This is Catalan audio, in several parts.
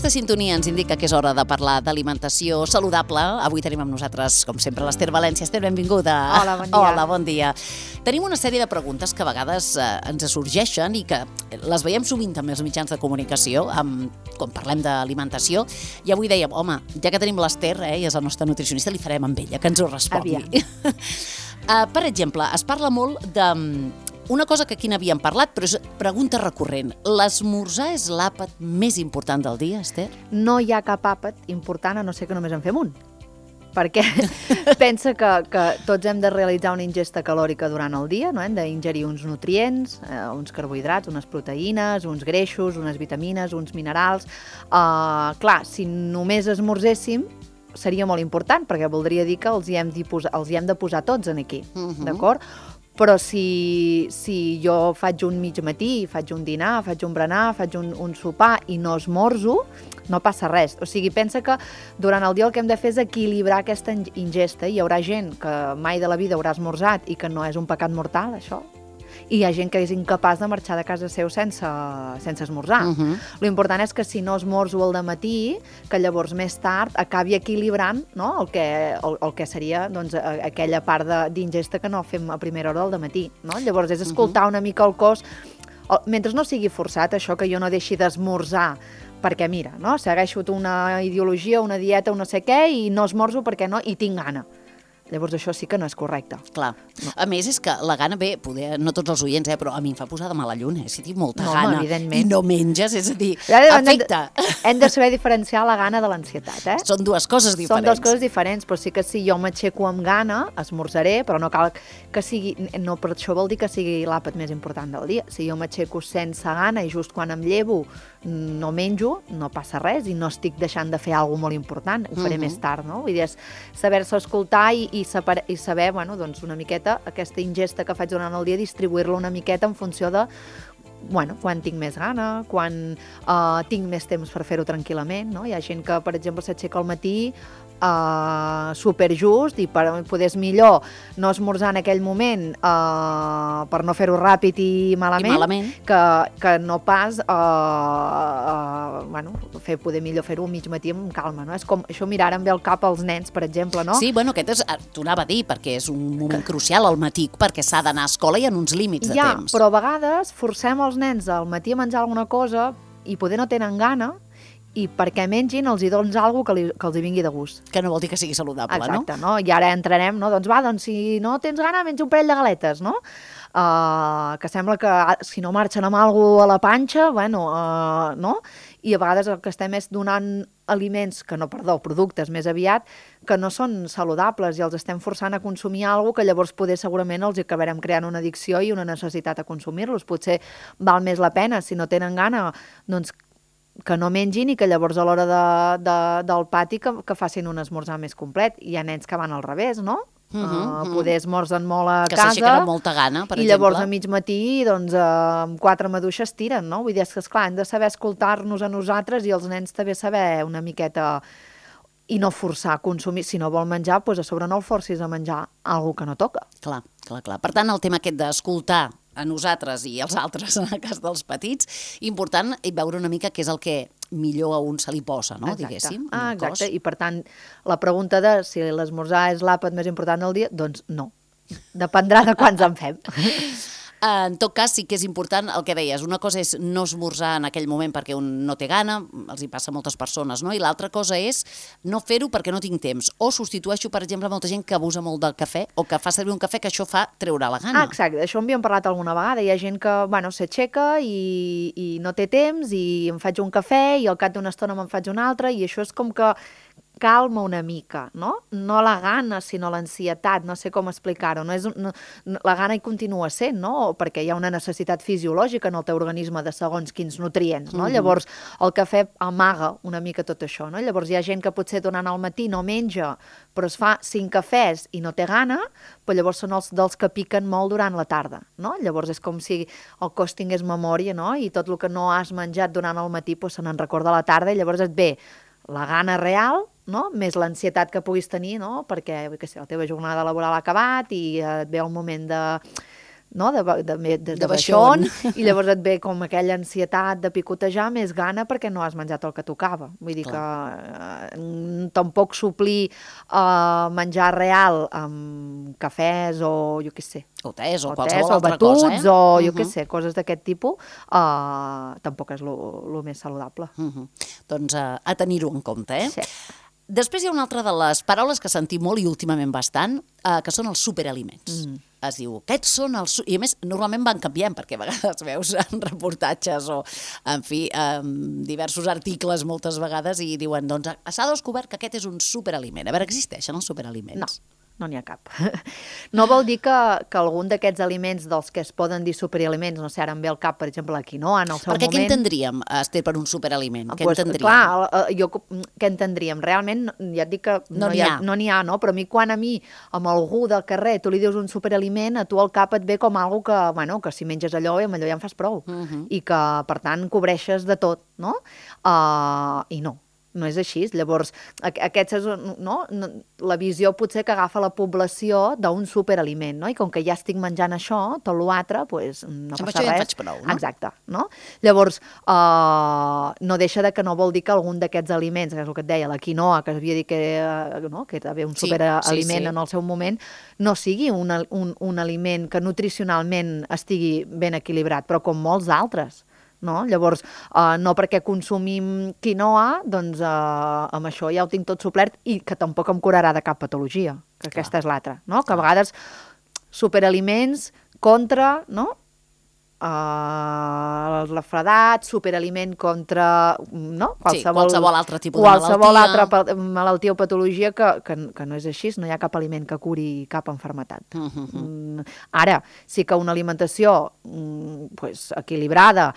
aquesta sintonia ens indica que és hora de parlar d'alimentació saludable. Avui tenim amb nosaltres, com sempre, l'Ester València. Ester, benvinguda. Hola, bon dia. Hola, bon dia. Tenim una sèrie de preguntes que a vegades ens sorgeixen i que les veiem sovint també als mitjans de comunicació, quan parlem d'alimentació, i avui dèiem, home, ja que tenim l'Ester, i és la nostra nutricionista, li farem amb ella, que ens ho respongui. Per exemple, es parla molt de una cosa que aquí n'havíem parlat, però és pregunta recurrent. L'esmorzar és l'àpat més important del dia, Ester? No hi ha cap àpat important, a no ser que només en fem un. Perquè pensa que tots hem de realitzar una ingesta calòrica durant el dia, no? Hem d'ingerir uns nutrients, uns carbohidrats, unes proteïnes, uns greixos, unes vitamines, uns minerals. Clar, si només esmorzéssim, seria molt important, perquè voldria dir que els hi hem de posar tots en aquí, d'acord? Però si jo faig un mig matí, faig un dinar, faig un berenar, faig un sopar i no esmorzo, no passa res. O sigui, pensa que durant el dia el que hem de fer és equilibrar aquesta ingesta. Hi haurà gent que mai de la vida haurà esmorzat i que no és un pecat mortal, això. I hi ha gent que és incapaç de marxar de casa seu sense esmorzar. L'important és que si no esmorzo al dematí, que llavors més tard acabi equilibrant, no? el que seria doncs, aquella part d'ingesta que no fem a primera hora del dematí. No? Llavors és escoltar una mica el cos, mentre no sigui forçat, això que jo no deixi d'esmorzar, perquè mira, no? Segueixo una ideologia, una dieta, un no sé què, i no esmorzo perquè no, i tinc gana. Llavors això sí que no és correcte. Clar. No. A més, és que la gana, bé, no tots els oients, però a mi em fa posar de mala lluna, si tinc molta gana i no menges, és a dir, afecta. Hem de saber diferenciar la gana de l'ansietat, Són dues coses diferents. Són dues coses diferents, però sí que si jo m'aixeco amb gana, esmorzaré, però no cal que sigui, no per això vol dir que sigui l'àpat més important del dia. Si jo m'aixeco sense gana i just quan em llevo no menjo, no passa res i no estic deixant de fer alguna cosa molt important, ho faré més tard, no? Vull dir, és saber-se escoltar i saber, bueno, doncs una miqueta, aquesta ingesta que faig durant el dia, distribuir-la una miqueta en funció de, bueno, quan tinc més gana, quan tinc més temps per fer-ho tranquil·lament, no? Hi ha gent que, per exemple, s'aixeca al matí superjust i poder és millor no esmorzar en aquell moment per no fer-ho ràpid i malament. Que no pas bueno, poder millor fer-ho mig matí amb calma, no? És com això, mira, ara em ve al cap als nens, per exemple, no? Sí, bueno, aquest t'ho anava a dir, perquè és un moment crucial al matí, perquè s'ha d'anar a escola i en uns límits de temps. Però a vegades forcem els nens al matí a menjar alguna cosa i poder no tenen gana, i perquè mengin els hi dones alguna cosa que els hi vingui de gust. Que no vol dir que sigui saludable, no? Exacte, no? I ara entrarem, no? Doncs si no tens gana, menja un parell de galetes, no? Que sembla que si no marxen amb alguna cosa a la panxa, bueno, no? I a vegades el que estem és donant aliments, productes més aviat, que no són saludables i els estem forçant a consumir alguna cosa que llavors poder segurament els acabarem creant una addicció i una necessitat a consumir-los. Potser val més la pena, si no tenen gana, doncs que no mengin i que llavors a l'hora del pati que facin un esmorzar més complet. Hi ha nens que van al revés, no? Poder esmorzen molt a casa. Que s'aixequen amb molta gana, per exemple. I llavors a mig matí, doncs, amb 4 maduixes tiren, no? Vull dir, és que, esclar, hem de saber escoltar-nos a nosaltres i els nens també saber una miqueta i no forçar a consumir. Si no vol menjar, doncs a sobre no el forcis a menjar alguna que no toca. Clar. Per tant, el tema aquest d'escoltar a nosaltres i als altres, en el cas dels petits, important veure una mica què és el que millor a un se li posa, no? Diguéssim. Exacte, i per tant, la pregunta de si l'esmorzar és l'àpat més important del dia, doncs no. Dependrà de quants en fem. En tot cas, sí que és important el que deies. Una cosa és no esmorzar en aquell moment perquè un no té gana, els hi passa a moltes persones, no? I l'altra cosa és no fer-ho perquè no tinc temps. O substitueixo, per exemple, molta gent que abusa molt del cafè o que fa servir un cafè que això fa treure la gana. Exacte, d'això en havíem parlat alguna vegada. Hi ha gent que, bueno, s'aixeca i no té temps i em faig un cafè i al cap d'una estona me'n faig un altre i això és com que calma una mica, no? No la gana, sinó l'ansietat, no sé com explicar-ho. La gana hi continua sent, no? Perquè hi ha una necessitat fisiològica en el teu organisme de segons quins nutrients, no? Llavors, el cafè amaga una mica tot això, no? Llavors, hi ha gent que potser durant el matí no menja, però es fa 5 cafès i no té gana, però llavors són els dels que piquen molt durant la tarda, no? Llavors, és com si el cos tingués memòria, no? I tot el que no has menjat durant el matí se n'en recorda a la tarda i llavors et ve la gana real, no? Més l'ansietat que puguis tenir, no? Perquè la teva jornada laboral ha acabat i et ve el moment no? de baixón, i llavors et ve com aquella ansietat de picotejar, més gana perquè no has menjat el que tocava. Vull dir que tampoc suplir menjar real amb cafès o jo què sé, o tés o qualsevol altra cosa, batuts o jo què sé, coses d'aquest tipus, tampoc és el més saludable. Doncs a tenir-ho en compte, Sí. Després hi ha una altra de les paraules que sentim molt i últimament bastant, que són els superaliments. Es diu, aquests són els... I a més, normalment van canviant, perquè a vegades veus en reportatges o, en fi, diversos articles moltes vegades i diuen, doncs s'ha descobert que aquest és un superaliment. A veure, existeixen els superaliments? No n'hi ha cap. No vol dir que algun d'aquests aliments dels que es poden dir superaliments, no sé, ara em ve al cap, per exemple, la quinoa en el seu moment... Perquè què entendríem, Esther, per un superaliment? Què entendríem? Clar, què entendríem? Realment, ja et dic que no n'hi ha, no? Però a mi, amb algú del carrer, tu li dius un superaliment, a tu al cap et ve com algo que, bueno, que si menges allò, amb allò ja en fas prou. I que, per tant, cobreixes de tot, no? I no és així. Llavors, aquesta és la visió potser que agafa la població d'un superaliment, no? I com que ja estic menjant això, tot l'altre, doncs no passa res. Amb això ja en faig prou, no? Exacte, no? Llavors, no deixa de que no vol dir que algun d'aquests aliments, que és el que et deia, la quinoa, que havia dit que era un superaliment en el seu moment, no sigui un aliment que nutricionalment estigui ben equilibrat, però com molts altres. No? Llavors, no perquè consumim quinoa, doncs amb això ja ho tinc tot suplert i que tampoc em curarà de cap patologia, que aquesta és l'altra, no? Que a vegades superaliments contra, no? El refredat, superaliment contra qualsevol altre tipus de malaltia. Qualsevol altra malaltia o patologia que no és així, no hi ha cap aliment que curi cap malaltia. Ara, sí que una alimentació equilibrada,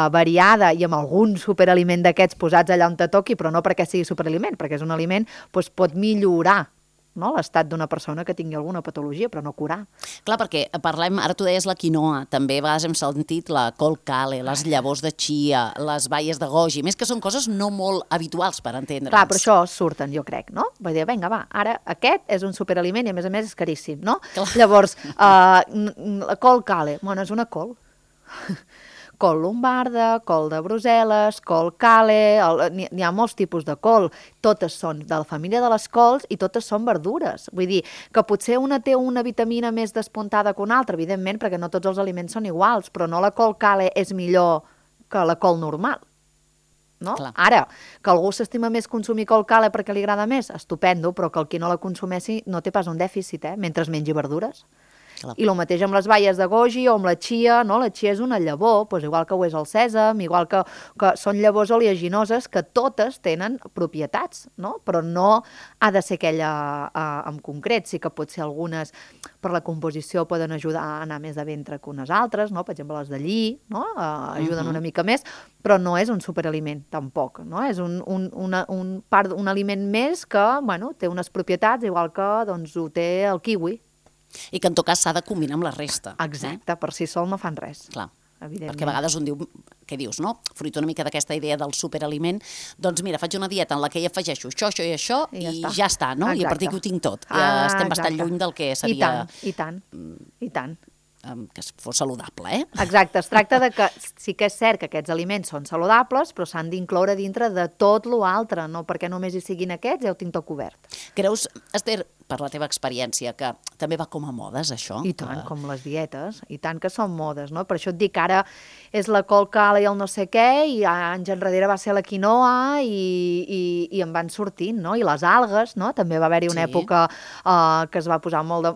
variada i amb algun superaliment d'aquests posats allà on te toqui, però no perquè sigui superaliment, perquè és un aliment, pot millorar l'estat d'una persona que tingui alguna patologia, però no curar. Clar, perquè parlem, ara tu deies la quinoa, també a vegades hem sentit la col kale, les llavors de chia, les baies de goji, més que són coses no molt habituals per entendre'ns. Clar, però això surten, jo crec, no? Vull dir, vinga, va, ara aquest és un superaliment i a més és caríssim, no? Clar. Llavors, la col kale, bueno, és una col. Col lombarda, col de Brussel·les, col kale, n'hi ha molts tipus de col. Totes són de la família de les cols i totes són verdures. Vull dir que potser una té una vitamina més despuntada que una altra, evidentment, perquè no tots els aliments són iguals, però no la col kale és millor que la col normal. No? Ara, que algú s'estima més consumir col kale perquè li agrada més, estupendo, però que el qui no la consumeixi no té pas un dèficit, mentre mengi verdures. Clar. I el mateix amb les baies de goji o amb la chia, no? La chia és una llavor, doncs igual que ho és el sèsam, igual que són llavors oleaginoses que totes tenen propietats, no? Però no ha de ser aquella en concret, sí que pot ser algunes per la composició poden ajudar a anar més de ventre que unes altres, no? Per exemple, les de lli, no? Ajuden una mica més, però no és un superaliment, tampoc, no? És un aliment més que, bueno, té unes propietats, igual que doncs, ho té el kiwi. I que en tot cas s'ha de combinar amb la resta. Exacte, per si sol no fan res. Clar, perquè a vegades un diu, què dius, no? Fruit una mica d'aquesta idea del superaliment, doncs mira, faig una dieta en la que hi afegeixo això i això i ja està, no? I a partir que ho tinc tot. Estem bastant lluny del que seria... I tant. Que fos saludable, Exacte, es tracta de que sí que és cert que aquests aliments són saludables, però s'han d'incloure dintre de tot l'altre, no perquè només hi siguin aquests, ja ho tinc tot cobert. Creus, Esther, per la teva experiència, que també va com a modes, això? I tant, com les dietes, i tant que són modes, no? Per això et dic que ara és la col kale i el no sé què, i anys enrere va ser la quinoa, i en van sortint, no? I les algues, no? També va haver-hi una època que es va posar molt de...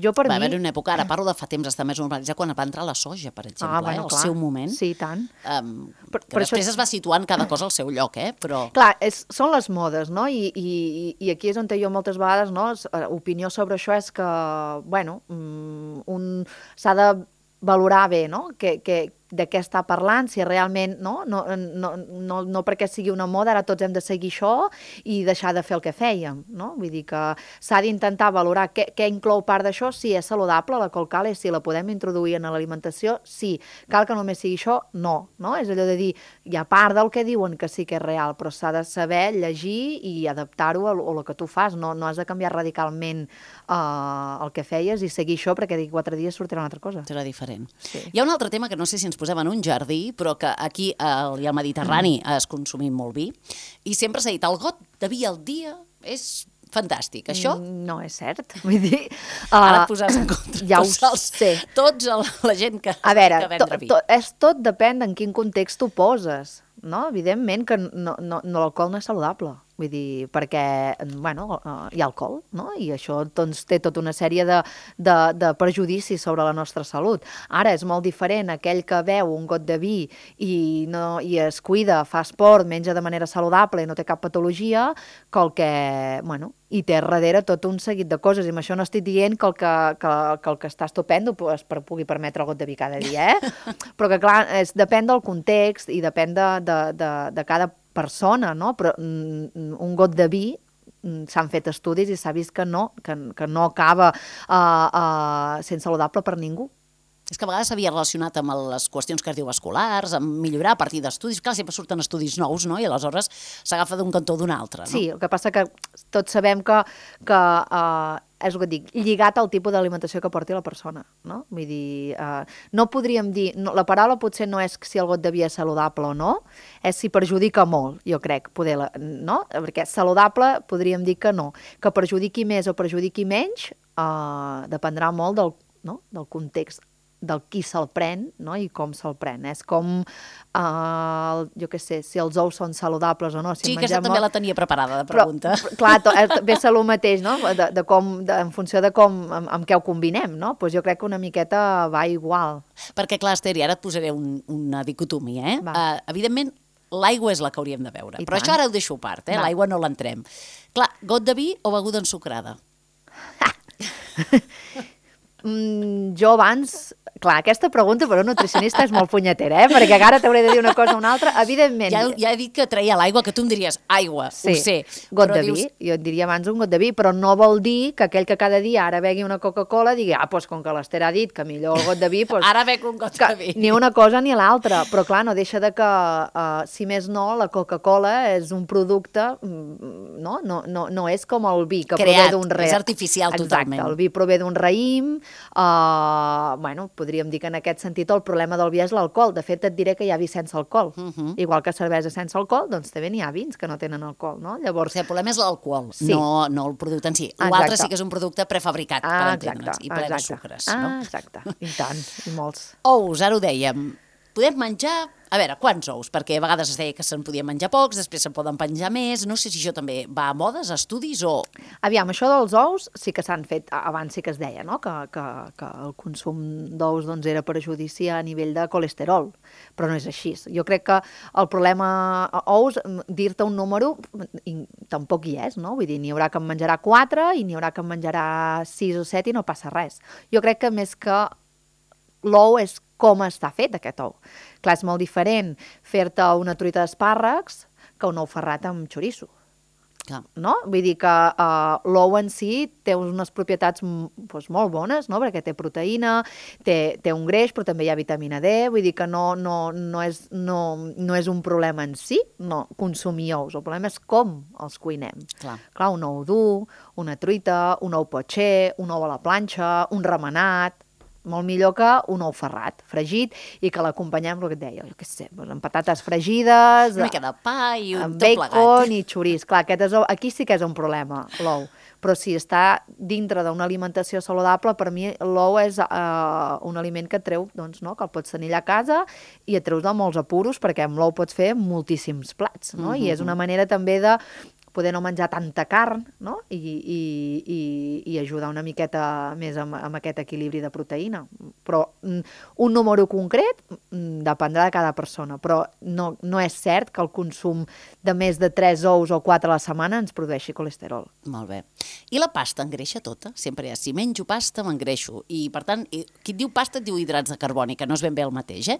Va haver-hi una època, ara parlo de fa temps, està més normalitzat, quan va entrar la soja, per exemple, al seu moment. Sí, i tant. Que després es va situant cada cosa al seu lloc, però... Clar, són les modes, no? I aquí és on jo moltes vegades, no? Opinió sobre això és que, bueno, s'ha de valorar bé, no? de què està parlant, si realment, no perquè sigui una moda, ara tots hem de seguir això i deixar de fer el que fèiem, no? Vull dir que s'ha d'intentar valorar què inclou part d'això, si és saludable, la colcàlia, si la podem introduir en l'alimentació, sí. Cal que només sigui això? No. És allò de dir, hi ha part del que diuen que sí que és real, però s'ha de saber llegir i adaptar-ho a el que tu fas. No has de canviar radicalment el que feies i seguir això perquè d'aquí 4 dies sortirà una altra cosa. Serà diferent. Sí. Hi ha un altre tema que no sé si ens posem en un jardí, però que aquí al Mediterrani es consumim molt vi, i sempre s'ha dit, el got de vi al dia és fantàstic. Això? No és cert. Vull dir... Ara et posaràs en contra. Ja ho sé. Tota la gent que vendre vi. Tot depèn en quin context tu poses. No? Evidentment que l'alcohol no és saludable. Vull dir, perquè, bueno, hi ha alcohol, no? I això doncs, té tota una sèrie de perjudicis sobre la nostra salut. Ara és molt diferent aquell que beu un got de vi i es cuida, fa esport, menja de manera saludable i no té cap patologia, que el que, bueno, i té darrere tot un seguit de coses. I amb això no estic dient que el que està estupendo pugui permetre el got de vi cada dia, Però que, clar, depèn del context i depèn de cada persona, no? Però un got de vi s'han fet estudis i s'ha vist que no acaba sent saludable per ningú. És que a vegades s'havia relacionat amb les qüestions cardiovasculars, amb millorar a partir d'estudis. Clar, sempre surten estudis nous, no? I aleshores s'agafa d'un cantó o d'un altre, no? Sí, el que passa que tots sabem que és el que dic, lligat al tipus d'alimentació que porti la persona, no? Vull dir, no podríem dir, la paraula potser no és si el got de vi és saludable o no, és si perjudica molt, jo crec, no? Perquè saludable podríem dir que no. Que perjudiqui més o perjudiqui menys dependrà molt del context, del qui se'l pren, no? I com se'l pren. És com, jo què sé, si els ous són saludables o no. Sí, aquesta també la tenia preparada, de pregunta. Però, clar, ve ser el mateix, no? En funció de amb què ho combinem, no? Doncs jo crec que una miqueta va igual. Perquè, clar, Esther, i ara et posaré una dicotomia, evidentment, l'aigua és la que hauríem de beure. Però això ara ho deixo a part, l'aigua no l'entrem. Clar, got de vi o beguda ensucrada? Jo abans... Clar, aquesta pregunta per un nutricionista és molt punyetera, perquè ara t'hauré de dir una cosa o una altra. Evidentment... Ja he dit que treia l'aigua, que tu em diries aigua, sí, ho sé. Got de vi, jo et diria abans un got de vi, però no vol dir que aquell que cada dia ara begui una Coca-Cola digui, doncs com que l'Ester ha dit que millor el got de vi... Ara bec un got de vi. Ni una cosa ni l'altra, però clar, no deixa de que, si més no, la Coca-Cola és un producte, no és com el vi, que prové d'un raïm. És artificial totalment. Exacte, el vi prové d'un raïm, bueno, podríem dir que en aquest sentit el problema del vi és l'alcohol. De fet, et diré que hi ha vi sense alcohol. Igual que cervesa sense alcohol, doncs també n'hi ha vins que no tenen alcohol, no? Llavors... El problema és l'alcohol, no el producte en si. L'altre sí que és un producte prefabricat, per entendre'ns, i ple de sucres. Exacte, i tant, i molts. Ous, ara ho dèiem. Podem menjar, a veure, quants ous? Perquè a vegades es deia que se'n podien menjar pocs, després se'n poden penjar més. No sé si això també va a modes, a estudis o... Aviam, això dels ous sí que s'han fet, abans sí que es deia, no? Que el consum d'ous doncs, era perjudici a nivell de colesterol, però no és així. Jo crec que el problema ous, dir-te un número, tampoc hi és, no? Vull dir, n'hi haurà que en menjarà 4 i n'hi haurà que en menjarà 6 o 7 i no passa res. Jo crec que més que l'ou és com està fet aquest ou. Clar, és molt diferent fer-te una truita d'espàrrecs que un ou ferrat amb xoriço. No? Vull dir que l'ou en si té unes propietats doncs, molt bones, no? Perquè té proteïna, té un greix, però també hi ha vitamina D, vull dir que no és un problema en si, no consumir ous, el problema és com els cuinem. Clar, un ou dur, una truita, un ou potxer, un ou a la planxa, un remenat, molt millor que un ou ferrat, fregit, i que l'acompanyem, el que et deia, jo què sé, amb patates fregides, una mica de pa i un tot plegat. Amb bacon i xoriç. Clar, aquí sí que és un problema, l'ou. Però si està dintre d'una alimentació saludable, per mi l'ou és un aliment que et treu, doncs, no? Que el pots tenir allà a casa i et treus de molts apuros, perquè amb l'ou pots fer moltíssims plats, no? I és una manera també de poder no menjar tanta carn, no? I ajudar una miqueta més amb aquest equilibri de proteïna. Però un número concret dependrà de cada persona, però no és cert que el consum de més de 3 ous o 4 a la setmana ens produeixi colesterol. Molt bé. I la pasta engreixa tota? Sempre si menjo pasta m'engreixo. I, per tant, qui et diu pasta et diu hidrats de carboni, que no és ben bé el mateix,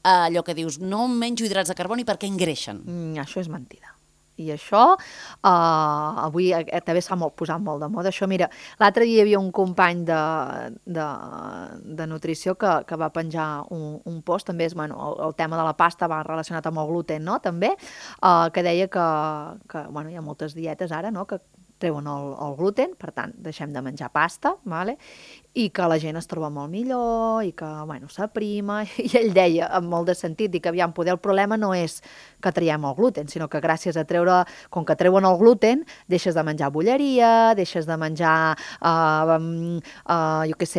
allò que dius, no menjo hidrats de carboni perquè engreixen. Això és mentida. I això, avui també s'ha posat molt de moda. Això, mira, l'altre dia hi havia un company de nutrició que va penjar un post, també és, el tema de la pasta va relacionat amb el gluten, no?, també, que deia que hi ha moltes dietes ara, no?, que treuen el gluten, per tant, deixem de menjar pasta, vale? I que la gent es troba molt millor, i que, s'aprima, i ell deia, amb molt de sentit, i que, aviam, poder el problema no és que traiem el gluten, sinó que gràcies a com que treuen el gluten, deixes de menjar bolleria, deixes de menjar,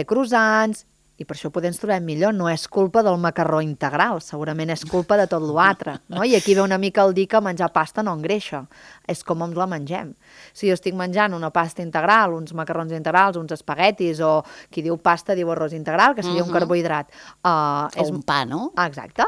croissants, i per això poder ens trobem millor. No és culpa del macarró integral, segurament és culpa de tot l'altre, no? I aquí ve una mica el dir que menjar pasta no engreixa, és com ens la mengem. Si jo estic menjant una pasta integral, uns macarrons integrals, uns espaguetis, o qui diu pasta diu arròs integral, que seria un carbohidrat. O un pa, no? Exacte.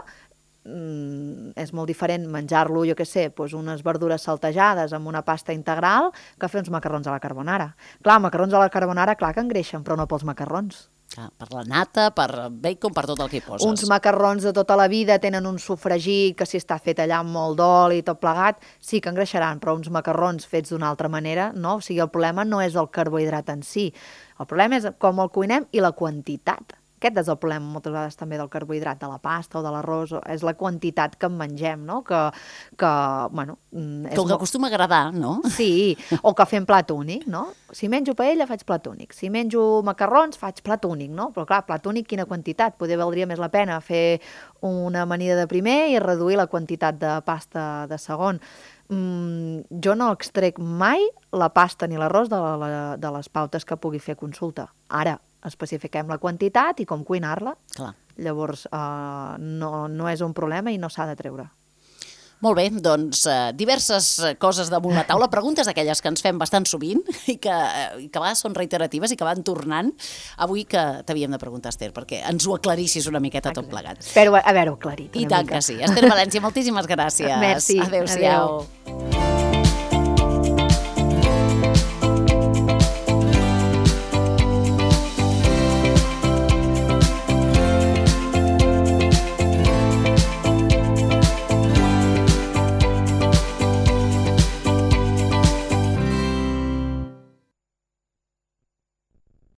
És molt diferent menjar-lo, unes verdures saltejades amb una pasta integral que fer uns macarrons a la carbonara. Clar, macarrons a la carbonara, clar que engreixen, però no pels macarrons. Per la nata, per bacon, per tot el que hi poses. Uns macarrons de tota la vida tenen un sofregit que si està fet allà amb molt d'oli i tot plegat, sí que engreixaran, però uns macarrons fets d'una altra manera, no? O sigui, el problema no és el carbohidrat en si, el problema és com el cuinem i la quantitat. Aquest és el problema moltes vegades també del carbohidrat, de la pasta o de l'arròs, és la quantitat que en mengem, no? Que acostuma a agradar, no? Sí, o que fem plat únic, no? Si menjo paella, faig plat únic. Si menjo macarrons, faig plat únic, no? Però clar, plat únic, quina quantitat? Poder valdria més la pena fer una amanida de primer i reduir la quantitat de pasta de segon. Jo no extrec mai la pasta ni l'arròs de les pautes que pugui fer consulta. Ara, especifiquem la quantitat i com cuinar-la. Clar. Llavors, no és un problema i no s'ha de treure. Molt bé, doncs diverses coses damunt la taula, preguntes d'aquelles que ens fem bastant sovint i que a vegades són reiteratives i que van tornant. Avui que t'havíem de preguntar, Esther, perquè ens ho aclarissis una miqueta tot plegat. Espero haver-ho aclarit. I tant que sí. Esther València, moltíssimes gràcies. Merci. Adéu-siau.